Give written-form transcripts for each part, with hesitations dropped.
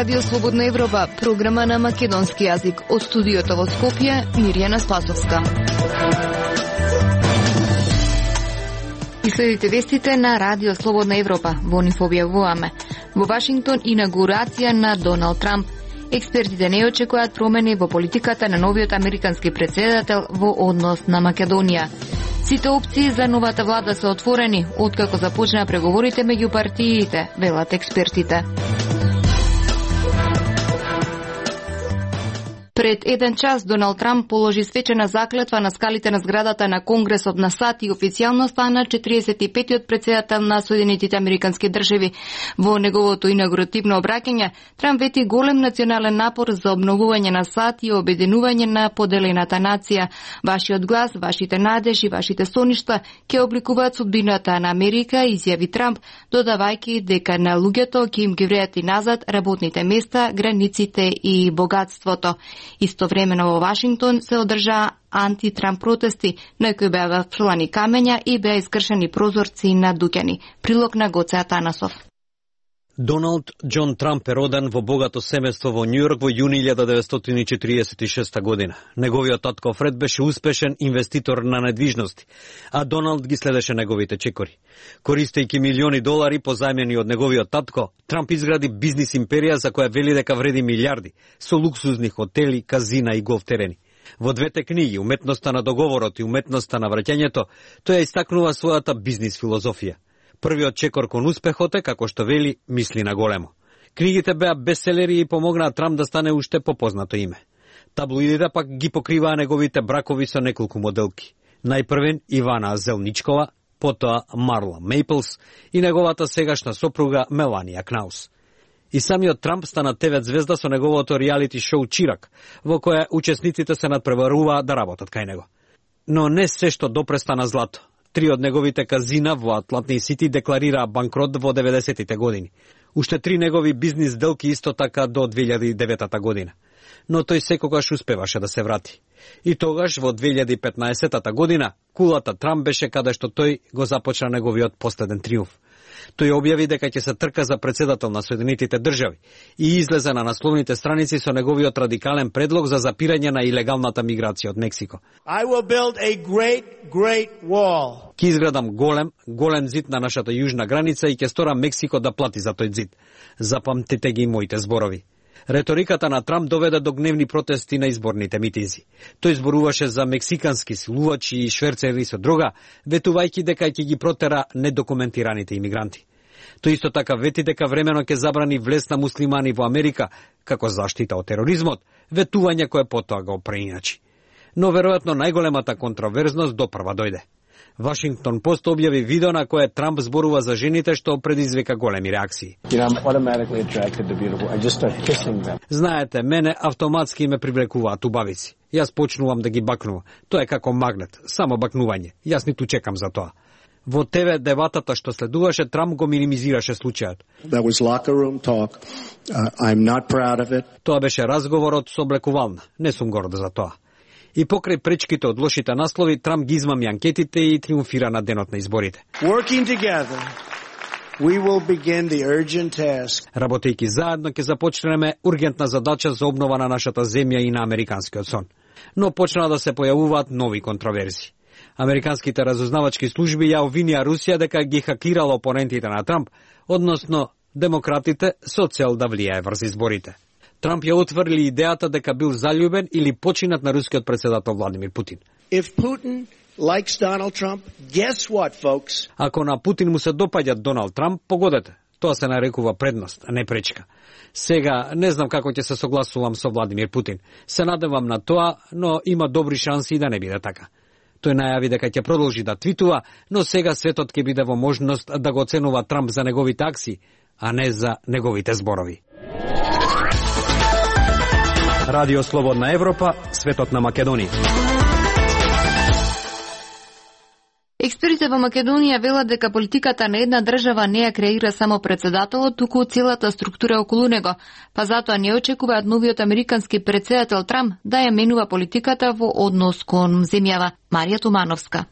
Радио Слободна Европа, програма на македонски јазик. Од студиото во Скопје, Мирјана Спасовска. И следите вестите на Радио Слободна Европа. Во нив објавуваме. Во Вашингтон инаугурација на Доналд Трамп. Експертите не очекуваат промени во политиката на новиот американски претседател во однос на Македонија. Сите опции за новата влада се отворени, откако започнаа преговорите меѓу партиите, велат експертите. Пред 1 час Доналд Трамп положи свечена заклетва на скалите на зградата на Конгресот на САД и официјално стана 45-тиот претседател на Соединетите Американски држави. Во неговото инаугуративно обраќање, Трамп вети голем национален напор за обновување на САД и обединување на поделената нација. Вашиот глас, вашите надежи, вашите соништа ќе обликуваат судбината на Америка, изјави Трамп, додавајќи дека на луѓето ќе им ги вреати назад работните места, границите и богатството. Истовремено во Вашингтон се одржаа анти-Трамп протести, на кои беа фрлани камења и беа искршени прозорци на дуќани. Прилог на Гоце Атанасов. Доналд Џон Трамп е роден во богато семејство во Њујорк во јуни 1946 година. Неговиот татко Фред беше успешен инвеститор на недвижности, а Доналд ги следеше неговите чекори. Користејќи милиони долари позајмени од неговиот татко, Трамп изгради бизнис империја за која вели дека вреди милиарди, со луксузни хотели, казина и голф терени. Во двете книги, Уметноста на договорот и Уметноста на враќањето, тој ја истакнува својата бизнис филозофија. Првиот чекор кон успехот е, како што вели, мисли на големо. Книгите беа бестселери и помогнаа Трамп да стане уште попознато име. Таблоидите пак ги покриваа неговите бракови со неколку моделки. Најпрвен Ивана Зелничкова, потоа Марла Мейплс и неговата сегашна сопруга Меланија Кнаус. И самиот Трамп стана ТВ звезда со неговото реалити шоу Чирак, во која учесниците се надпреваруваа да работат кај него. Но не се што допре стана злато. 3 од неговите казина во Атлантни Сити декларираа банкрот во 90-тите години. Уште 3 негови бизнис делки исто така до 2009 година. Но тој секогаш успеваше да се врати. И тогаш, во 2015 година, кулата Трамп беше каде што тој го започна неговиот последен триумф. Тој објави дека ќе се трка за председател на Соединетите држави и излезе на насловните страници со неговиот радикален предлог за запирање на илегалната миграција од Мексико. I will build a great wall. Ќе изградам голем зид на нашата јужна граница и ќе сторам Мексико да плати за тој зид. Запамтите ги моите зборови. Реториката на Трамп доведе до гневни протести на изборните митинзи. Тој зборуваше за мексикански силувачи и шверцери со дрога, ветувајќи дека ќе ги протера недокументираните имигранти. Тој исто така вети дека времено ќе забрани влез на муслимани во Америка како заштита од тероризмот, ветување кое потоа го преиначи. Но веројатно најголемата контроверзност допрва дојде. Вашингтон Пост објави видео на кое Трамп зборува за жените што предизвика големи реакции. Знаете, мене автоматски ме привлекуваат убавици. Јас почнувам да ги бакнувам. Тоа е како магнет, само бакнување. Јас ниту чекам за тоа. Во ТВ дебатата што следуваше, Трамп го минимизираше случајот. Тоа беше разговорот со облекувална. Не сум горд за тоа. И покрај пречките од лошите наслови, Трамп ги измами анкетите и триумфира на денот на изборите. Работејќи заедно ќе започнеме ургентна задача за обнова на нашата земја и на американскиот сон. Но почнаа да се појавуваат нови контроверзи. Американските разузнавачки служби ја обвинија Русија дека ги хакирала опонентите на Трамп, односно демократите, со цел да влијае врз изборите. Трамп ја отврли идејата дека бил заљубен или починат на рускиот председател Владимир Путин. Ако на Путин му се допаѓа Доналд Трамп, погодете. Тоа се нарекува предност, а не пречка. Сега не знам како ќе се согласувам со Владимир Путин. Се надевам на тоа, но има добри шанси да не биде така. Тој најави дека ќе продолжи да твитува, но сега светот ќе биде во можност да го оценува Трамп за неговите акции, а не за неговите зборови. Радио Слободна Европа, светот на Македонија. Експертите во Македонија велат дека политиката на една држава не ја креира само председателот, туку целата структура околу него, па затоа не очекуваат новиот американски председател Трамп да ја менува политиката во однос кон земјава. Марија Тумановска.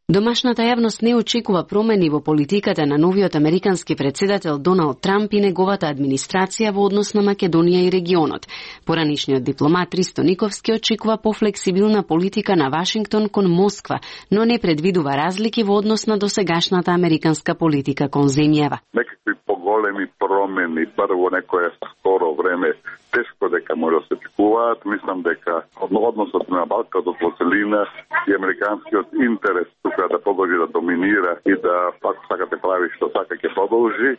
Домашната јавност не очекува промени во политиката на новиот американски председател Доналд Трамп и неговата администрација во однос на Македонија и регионот. Поранишниот дипломат Ристо Никовски очекува пофлексибилна политика на Вашингтон кон Москва, но не предвидува разлики во однос на досегашната американска политика кон земјава. Некакви поголеми промени, прво некое скоро време, тешко дека може да се очекуваат. Мислам дека односот на Балканот во целина и американскиот интерес тука да продолжи да доминира и да пак сакате прави што сака ќе продолжи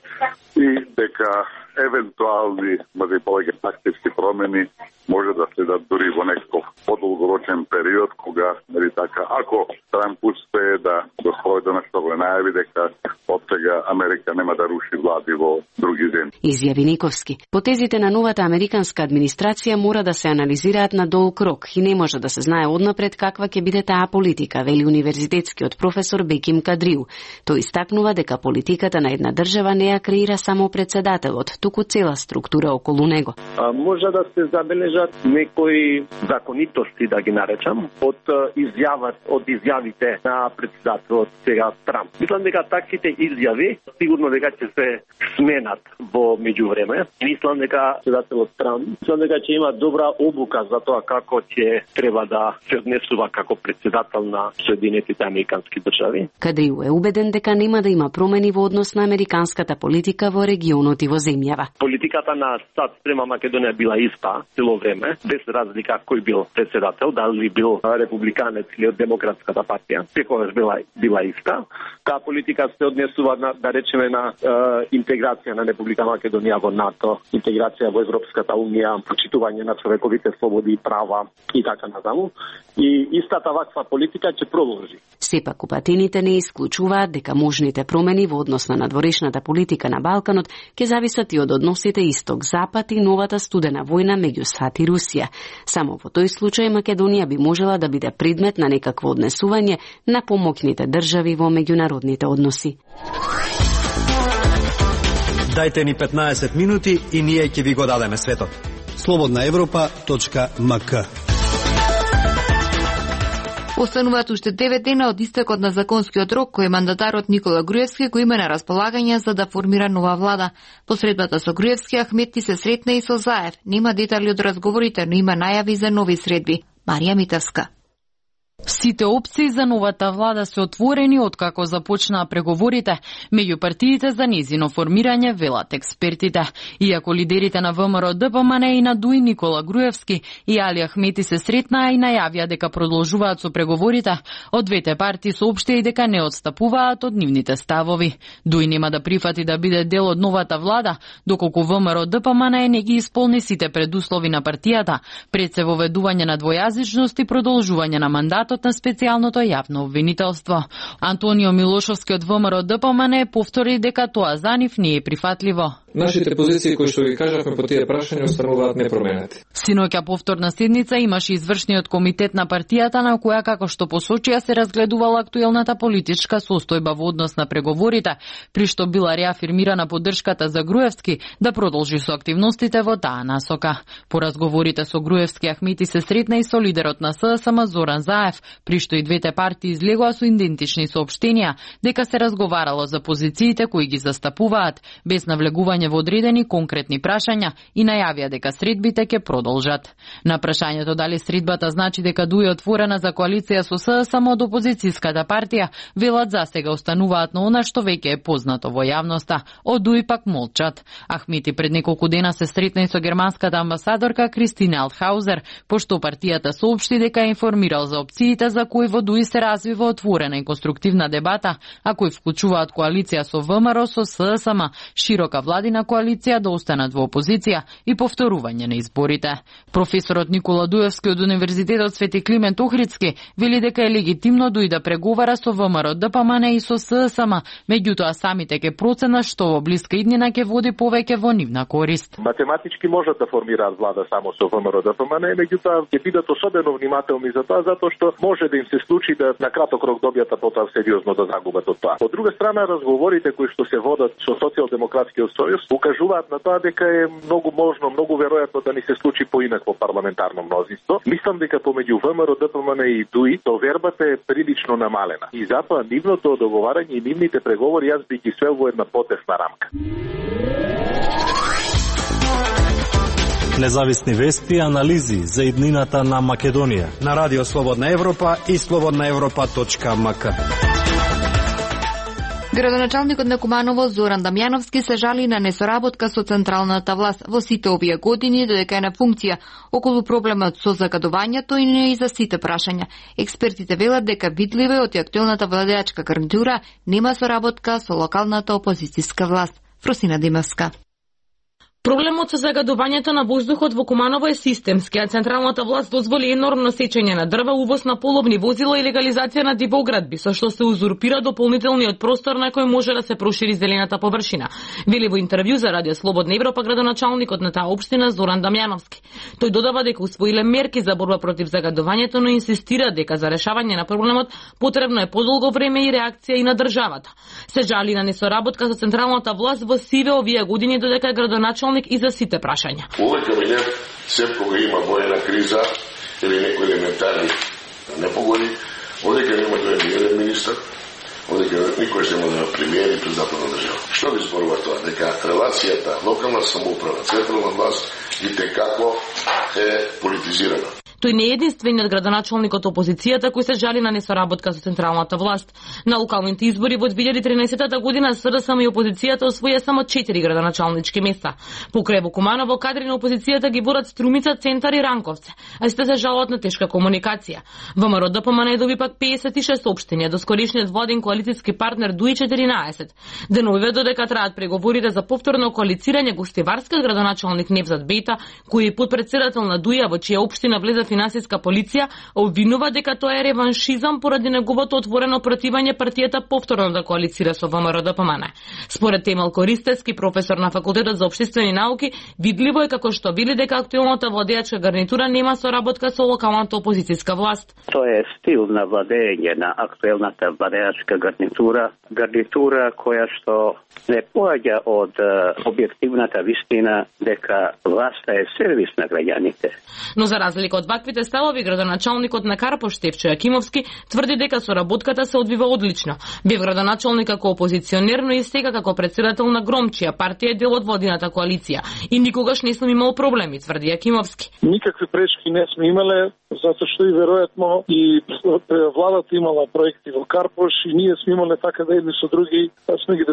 и дека евентуални, може и повеќе тактички промени може да следат дури во некој подолгорочен период кога, нели така, ако Трамп успее да го спроведе на што го најави дека од сега Америка нема да руши влади во други земји. Изјави Никовски. Потезите на новата американска администрација мора да се анализираат на долг рок и не може да се знае однапред каква ќе биде таа политика, вели универзитетскиот професор Беким Кадриу. Тој истакнува дека политиката на една држава не ја креира само председателот, туку цела структура околу него. Може да се забележат некои законитости, да ги наречам, од изјавите на председателот сега Трамп. Мислам дека таквите изјави сигурно дека ќе се сменат во меѓувреме. Мислам дека председателот Трамп ќе има добра обука за тоа како ќе треба да се однесува како председател на Соединетите американски држави. Кадриу е убеден дека нема да има промени во однос на американската политика во регионот и во земјава. Политиката на САД спрема Македонија била иста цело време, без разлика кој бил председател, дали бил републиканец или од Демократската партија, секогаш била иста. Таа политика се однесува на, да речеме, на интеграција на Република Македонија во НАТО, интеграција во Европската унија, почитување на човековите слободи и права и така натаму. И истата ваква политика ќе продолжи. Сепак упатените не исклучуваат дека можните промени во однос на надворешната политика на Балканот ќе зависат и од односите Исток-Запад и новата студена војна меѓу САД и Русија. Само во тој случај Македонија би можела да биде предмет на некакво однесување на помоќните држави во меѓународните односи. Дајте ни 15 минути и ние ќе ви го дадеме светот. slobodnaevropa.mk. Остануваат уште 9 дена од истекот на законскиот рок кој мандатарот Никола Груевски го има на располагање за да формира нова влада. По средбата со Груевски Ахметти се сретна и со Заев. Нема детали од разговорите, но има најави за нови средби. Марија Митевска. Сите опции за новата влада се отворени откако започнаа преговорите меѓу партиите за незино формирање, велат експертите. Иако лидерите на ВМРО ДПМН и на ДУИ Никола Груевски и Али Ахметти се сретнаа и најавија дека продолжуваат со преговорите, од двете партии соопштија и дека не отстапуваат од нивните ставови. ДУИ нема да прифати да биде дел од новата влада, доколку ВМРО ДПМН не ги исполни сите предуслови на партијата, пред се воведување на двојазичност и продолжување на мандатот на специјалното јавно обвинителство. Антонио Милошовски од ВМРО ДПМН повтори дека тоа за нив не е прифатливо. Нашите позиции кои што ги кажавме по тие прашања остануваат непроменети. Синоќа повторна седница имаше извршниот комитет на партијата на која, како што посочија, се разгледувала актуелната политичка состојба во однос на преговорите, при што била реафирмирана поддршката за Груевски да продолжи со активностите во таа насока. По разговорите со Груевски Ахметти се сретна и со лидерот на СДСМ Зоран Заев, при што и двете партии излегоа со идентични соопштенија дека се разговарало за позициите кои ги застапуваат, без навлегување во одредени конкретни прашања и најавија дека средбите ќе продолжат. На прашањето дали средбата значи дека ДУИ е отворена за коалиција со СДСМ од опозицијската партија, велат засега остануваат на она што веќе е познато во јавноста. Од ДУИ пак молчат. Ахметти пред неколку дена се сретна и со германската амбасадорка Кристина Алтхаузер, пошто партијата соопшти дека е информирал за опциите за кои во ДУИ се развива отворена и конструктивна дебата, а кои вклучуваат коалиција со ВМРО, со СДСМ, широка владина коалиција да останат во опозиција и повторување на изборите. Професорот Никола Дуевски од Универзитетот Свети Климент Охридски вели дека е легитимно ДУИ да преговара со ВМРО ДПМН и со СДСМ, меѓутоа самите ќе проценат што во блиска иднина ќе води повеќе во нивна корист. Математички можат да формираат влада само со ВМРО ДПМН, меѓутоа ќе бидат особено внимателни за тоа, затоа што може да им се случи да на краток рок добијат, а потоа сериозно да загубат од тоа. Од друга страна, разговорите кои што се водат со Социјалдемократскиот сојуз сојуз, укажуваат на тоа дека е многу можно, многу веројатно да ни се случи поинакво парламентарно мнозинство. Мислам дека помеѓу ВМРО, ДПМН и ДУИ довербата е прилично намалена. И затоа нивното договарање и нивните преговори јас би ги свел во една потесна рамка. Независни вести и анализи за иднината на Македонија на Радио Слободна Европа и slobodnaevropa.mk. Градоначалникот на Куманово Зоран Дамјановски се жали на несоработка со централната власт во сите овие години додека е на функција околу проблемот со загадувањето и не и за сите прашања. Експертите велат дека видливо е од актуелната владеачка гарнитура нема соработка со локалната опозицијска власт. Фросина Димевска. Проблемот со загадувањето на воздухот во Куманово е системски, а централната власт дозволи енормно сечење на дрва, увоз на половни возила и легализација на дивоградби, со што се узурпира дополнителниот простор на кој може да се прошири зелената површина. Вели во интервју за Радио Слободна Европа градоначалникот на таа општина Зоран Дамјановски. Тој додава дека усвоиле мерки за борба против загадувањето, но инсистира дека за решавање на проблемот потребно е подолго време и реакција и на државата. Се жали на несоработка со централната власт во сиве овие години додека градоначалник и за сите прашања. Овој кабинет, сеп кога има воена криза или некои елементарни непогоди, одека нема да е еден министр, одека никој се нема да премиери председател на држава. Што ви зборува тоа? Дека релацијата локална самоуправа, централна власт и како е политизирана. Тој не е единствениот градоначалник од опозицијата кој се жали на несоработка со централната власт. На локалните избори во 2013 година СДСМ и опозицијата освоја само 4 градоначалнички места. Покрај во Куманово кадри на опозицијата ги водат Струмица, Центар и Ранковце, а сите се жалат на тешка комуникација. ВМРО ДПМН доби пак 56 општини, до скоришниот владен коалицијски партнер ДУИ 14. Деновиве додека траат преговорите за повторно коалицирање, гостиварскиот градоначалник Невзат Бејта, кој е подпредседател на ДУИ, во чија општина влезе финансиска полиција, обвинува дека тоа е реваншизам поради неговото отворено противање партијата повторно да коалицира со ВМРО ДПМН. Според Темел Користевски, професор на Факултетот за општествени науки, видливо е како што вели дека актуелната владеачка гарнитура нема соработка со локалната опозицијска власт. Тоа е стил на владење на актуелната владеачка гарнитура која што не поаѓа од објективната вистина дека власта е сервис на граѓаните. Но за разлика од ваквите ставови, градоначалникот на Карпош Штефчо Јакимовски тврди дека соработката се одвива одлично. Бев градоначалник како опозиционер, но и сега како председател на Гром, чија партија е дел од владината коалиција. И никогаш не сум имал проблеми, тврди Јакимовски. Никакви пречки не сме имале, затоа што и веројатно и владата имала проекти во Карпош и ние сме имале така да едни со други, сме ги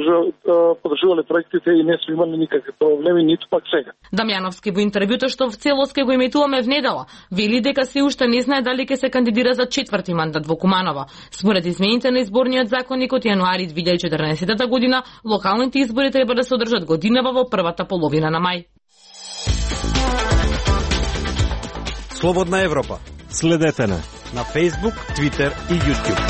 подржувале проектите и не сме имали никакви проблеми, ниту пак сега. Дамјановски во интервјуто што в целост ке го емитуваме внедела, вели дека се уште не знае дали ќе се кандидира за 4-ти мандат во Куманово. Според измените на изборниот законник од јануари 2014 година, локалните избори треба да се одржат годинава во првата половина на мај. Слободна Европа. Следете на Facebook, Twitter и YouTube.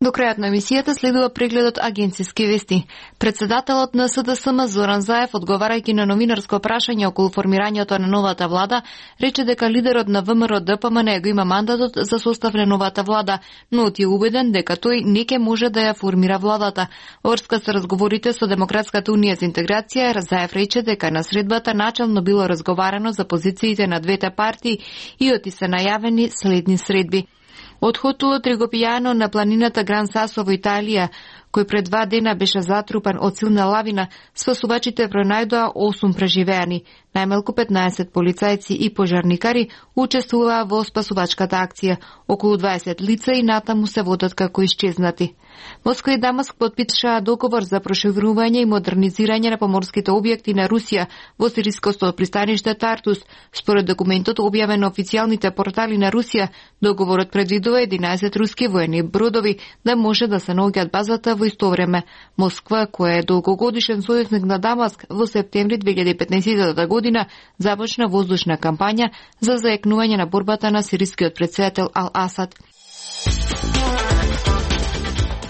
До крајот на емисијата следува прегледот агенцијски вести. Председателот на СДСМ Зоран Заев, одговарајќи на новинарско прашање околу формирањето на новата влада, рече дека лидерот на ВМРО ДПМН го има мандатот за состав на новата влада, но е убеден дека тој не ќе може да ја формира владата. Врска со разговорите со Демократската унија за интеграција, Заев рече дека на средбата начално било разговарано за позициите на двете партии и оти се најавени следни средби. Одходот Ригопијано на планината Гран Сасо во Италија, кој пред 2 дена беше затрупан од силна лавина, спасувачите пронајдоа 8 преживеани. Најмалку 15 полицајци и пожарникари учествуваа во спасувачката акција. Околу 20 лица и натаму се водат како исчезнати. Москва и Дамаск потпишаа договор за проширување и модернизирање на поморските објекти на Русија во сириското пристаниште Тартус. Според документот објавен на официјалните портали на Русија, договорот предвидува 11 руски воени бродови да може да се наоѓаат базата во исто време. Москва, која е долгогодишен сојузник на Дамаск, во септември 2015 година започна воздушна кампања за заекнување на борбата на сирискиот претседател Ал-Асад.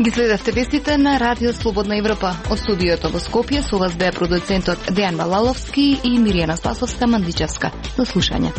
Ги следевте вестите на Радио Слободна Европа. Од студиото во Скопје со вас беа продуцентот Дејан Балаловски и Миријана Спасовска Мандичевска. До слушање.